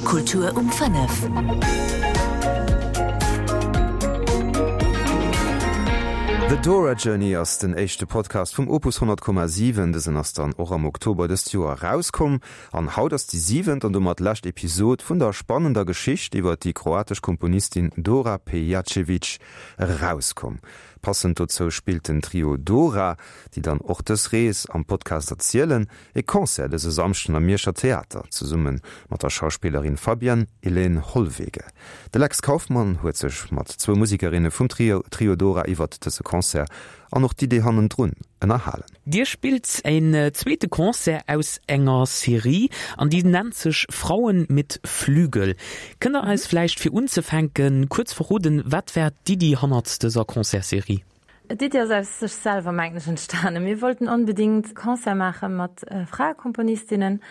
Kultur um 5. The Dora Journey ass den éischte Podcast vum Opus 100,7. Dësen ass dann och am Oktober dëst Joer erauskomm. An haut ass déi siwent an domat lescht Episod vun der spannender Geschicht iwwer déi kroatesch Komponistin Dora Pejačević erauskomm. Passend dozou spillt den Trio Dora, déi dann och dës Rees am Podcast erzielen, e Concert dëse Samschden am Mierscher Theater, zesumme mat der Schauspillerin Fabienne Hélène Hollwege. De Lex Kauffmann huet sech mat zwou Musikerinne vum Trio Trio Dora iwwert dëse Concert an och d'Idee hannendrun ënnerhalen. Dir spillt en zweete Concert aus enger Serie an déi nennt sech Frauen mit Flügel. Kënnt der eis vläicht fir unzefänken kuerz verroden, wat war d'Iddi hannert dëser Concertsserie? D'Iddi ass aus sech selwer, mengen ech, entstanen. Mir wollten onbedéngt Concert maache mat Fraekomponistinnen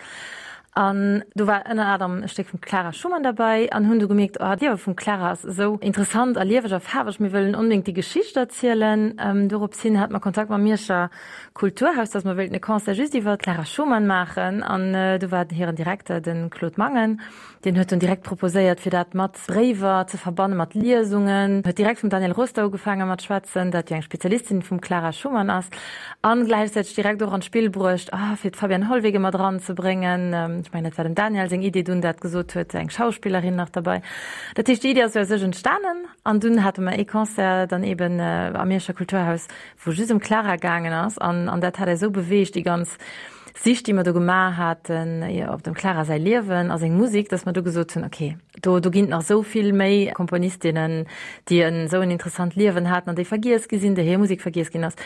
an do war ënner anerem e Stéck vum Clara Schumann derbäi an hunn du gemierkt, oh, d'Liewe vum Clara ass esou interessant a lieweg a faarweg, mir wëllen onbedéngt déi Geschicht erzielen. Dorops hin hate mer Kontakt mam Mierscher Kulturhaus, dass mer wéilten e Concert just iwwer d'Clara Schumann maachen an do war hiren Direkter, de Claude Mangen, Deen huet dunn direkt proposéiert, fir dat mat Bréiwer ze verbannen, mat Liesungen. Huet direkt vum Daniel Roster ugefaange mat schwätzen, dat jo eng Spezialistin vum Clara Schumann ass, an gläichzäiteg direkt och an d'Spill bruecht, ah, fir d'Fabienne Hollwege mat eranzebréngen. Ech mengen, dat war dem Daniel seng Idee dunn, dat gesot huet, eng Schauspillerin nach derbei. Dat heescht, déi Idee ass sou aus sech entstanen an dunn hate mer ee Concert dann eben am Mierscher Kulturhaus, wou just ëm d'Clara gaangen ass an an dat hat äis esou beweegt, déi ganz Sich, déi mer do gemaach haten op dem Clara säi Liewen a seng Musik, dass mer du gesot hunn, okay, do do ginn et nach esou vill méi Komponistinnen, déi en esou en interessant Liewen haten an déi vergiess gi sinn, déi hir Musik vergiess ginn ass.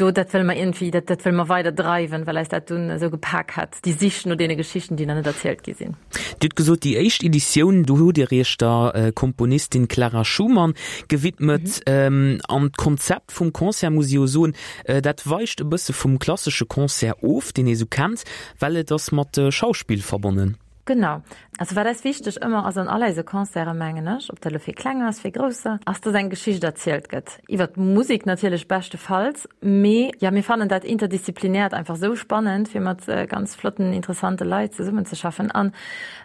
Do, dat wëlle mer iergendwéi, dat dat wëlle mer weider dreiwen, well eis dat dunn esou gepak hat, déi Sich no deene Geschichten, déi nach net erzielt gi sinn. Dir hutt gesot, déi éischt Editioun, do hutt Dir Iech der Komponistin Clara Schumann gewidmet. An d'Konzept vum Concert, muss ech jo soen, Dat weicht e bësse vum klassesche Concert of, deen ee sou kennt, well et ass mat Schauspill verbonnen. Genau. Also wat eis wichteg ëmmer ass an all eise Concerten, mengen ech, ob dat elo fir Kleng ass, fir Grousser, ass, dass eng Geschicht erzielt gëtt. Iwwer d'Musek natierlech beschtefalls, mee jo, mir fannen dat Interdisziplinäert einfach esou spannend, fir mat ganz flotten, interessante Leit zesummenzeschaffen. An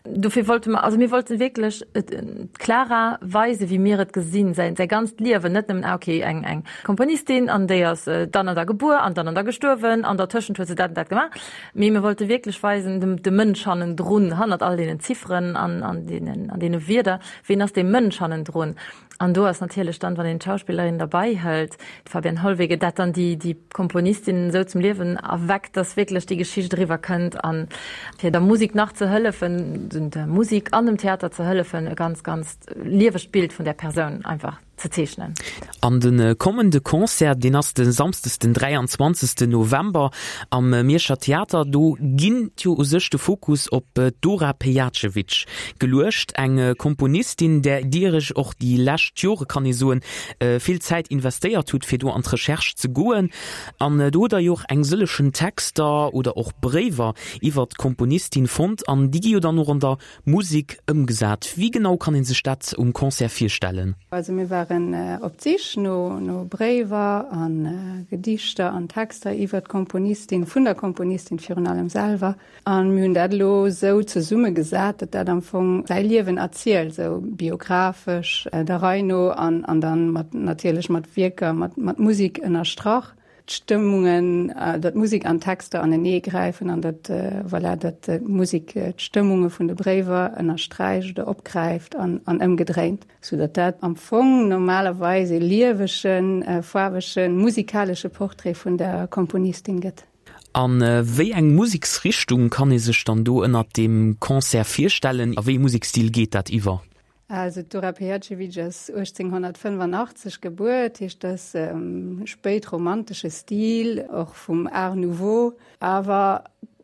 dofir wollte mer, also mir wollten wierklech d'Clara weisen, wéi mir et gesinn, säi ganzt Liewen, net nëmmen, ah okay, eng, eng Komponistin an déi ass dann an da gebuer an dann an da gestuerwen an dertëschent huet se dat an dat gemaach. Mee mir wollte wierklech weisen, dem, de Mënsch hannendrun, hannert all deenen Zifferen an, an deenen, an deene Wierder, ween ass dee Mënsch hannendrun? An do ass natierlech dann, wann een d'Schauspillerin derbei hëlt, d'Fabienne Hollwege, dat dann déi, déi Komponistin esou zum Liewen erweckt, dass wierklech déi Geschicht eriwwer kënnt an fir der Musik nach ze hëllefen, der Musik an dem Theater ze hëllefen, e ganz, ganz liewegt Bild vun där Persoun einfach. ze zeechnen. An de kommende Concert, deen ass de Samsdes den 23 November am Mierscher Theater. Do ginn jo u sech de Fokus op d'Dora Pejacevic geluecht, eng Komponistin, där Dir Iech och déi lescht Jore, kann ee soen, vill Zäit investéiert hutt, fir do an d'Recherche ze goen. An do hutt Der jo och eng sëllechen Texter oder och Bréiwer iwwert d'Komponistin fonnt an déi gi jo dann och an der Musik ëmgesat. Wéi genau kann een sech dat um Concert virstellen? Also mir waren op d'Sich no no Bréiwer a Gedichter an Texter iwwer d'Komponistin, vun der Komponistin virun allem selwer. An mir hunn dat elo esou zesummegesat, datt dat am Fong säi Liewen erzielt, esou biographesch der Rei no an an dann mat natierlech mat Wierker, mat mat Musik ënnerstrach. d'Stëmmungen, datt Musek an Texter anenee gräifen an datt, voilà, datt d'Musek d'Stëmmunge vun de Bréiwer ënnersträicht oder opgräift an, an ëmgedréint, sou datt dat am Fong normalerweis ee liewegen, faarwegen, musikalesche Portrait vun der Komponistin gëtt. A wéi eng Museksrichtung kann ee sech dann do ënnert deem Concert virstellen? A wéi ee Musekstil geet dat iwwer? Also d'Dora Pejačević ass 1885 gebuer, dat heescht dat ass spéitromantesche Stil, och vum Art Nouveau. Awer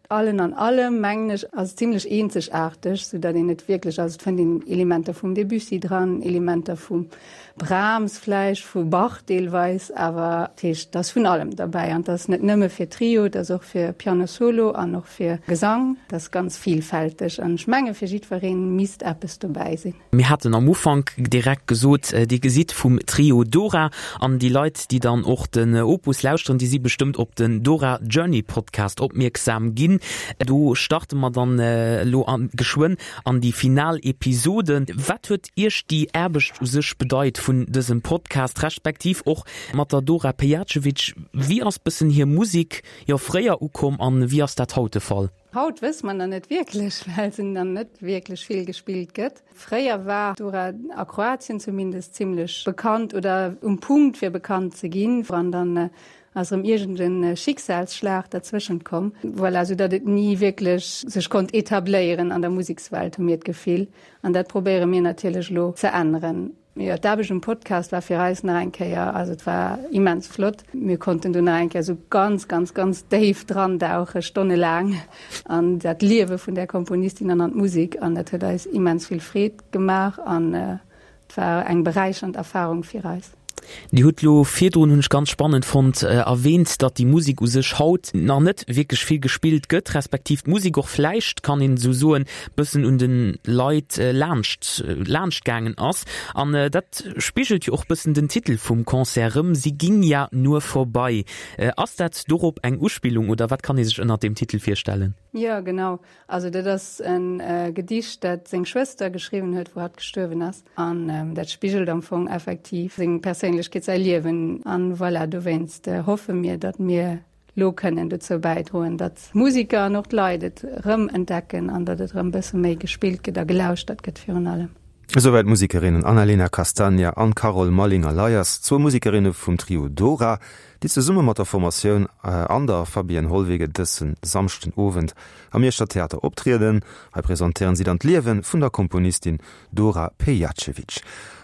allen an allem mengen ech ass et zimlech eenzegaarteg, sou datt een et wierklech, also et fënnt een Elementer vum Debussy dran, Elementer vum Brahms vläicht, vu Bach deelweis, awer dat heescht et ass vun allem derbäi an et ass net nëmme fir Trio, et ass och fir Piano Solo an och Fir Gesang, dat ass ganz vielfälteg an ech menge fir jiddwereen misst eppes dobäi sinn. Mir haten am Ufank direkt gesot, Dir gesitt vum Trio Dora an déi Leit, déi dann och den Opus lauschteren, déi si bestëmmt op den Dora Journey Podcast opmierksam ginn. Do starte mer dann elo geschwënn an déi final Episode. Wat huet Iech déi Aarbecht u sech bedeit vun dësem Podcast, respektiv och mat der Dora Pejacevic? Wéi ass bëssen hir Musek, jo, fréier ukomm an wéi ass dat haut de Fall? Haut wësse mer nach net wierklech, well se nach net wierklech vill gespillt gëtt. Fréier war Dora a Kroatien zumindest zimmlech bekannt oder um Punkt fir bekannt ze ginn, an dann ass erëm iergend e Schicksalsschlag derzwëschent komm, voilà, sou datt et ni wierklech sech konnt etabléieren an der Musekswelt, hu mir d'Gefill. An dat probéiere mir natierlech elo ze änneren. Jo, d'Aarbecht um Podcast war fir eis nach eng Kéier, also et war immens flott. Mir konnten do nach eng Kéier esou ganz, ganz, ganz déif drandauche, stonnelaang an dat Liewe vun där Komponistin an an d'Musek. An dat huet eis immens vill Freed gemaach an et war eng beräichernd Erfarung fir eis. Dir hutt elo virdrun, hunn ech ganz spannend fonnt, erwähnt, datt déi Musek u sech haut nach net wierklech vill gespillt gëtt, respektiv d'Musek och vläicht, kann een esou soen, bëssen un de Leit laanscht laanscht gaangen ass. An dat spigelt jo och bëssen den Titel vum Concert erëm, Sie ging ja nur vorbei. Ass dat dorop eng Uspillung oder wat kann ee sech ënnert deem Titel virstellen? Jo, genau. Also dat ass e Gedicht, dat seng Schwëster geschriwwen huet, wou hatt gestuerwen ass. An dat spigelt am Fong effektiv seng Perséinlechkeet, säi Liewen. An voilà, dowéinst hoffe mir, datt mir lo kënnen dozou bäidroen, datt d'Musiker an och d'Leit et erëm entdecken an datt et erëm bësse méi gespillt gëtt a gelauschtert gëtt virun allem. Esouwäit d'Musikerinnen Annalena Castagna an Carole Mallinger-Leyers, zwou Musikerinne vum Trio Dora, déi zesumme mat der Formatioun an der Fabienne Hollwege dësse Samschden Owend am Mierscher Theater optrieden. Hei presentéieren si dann d'Liewe vun der Komponistin Dora Pejacevic.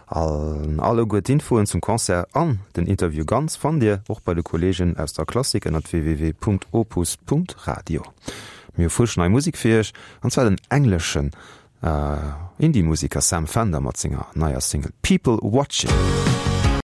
An alleguer d'Infoen zum Concert an den Interview ganz fannt Dir och bei de Kollegen aus der Klassik ënnert www.opus.radio. Mir hu frësch nei Musek fir Iech, an zwar den engleschen Indie-Museker Sam Fender mat senger neier Single People Watching.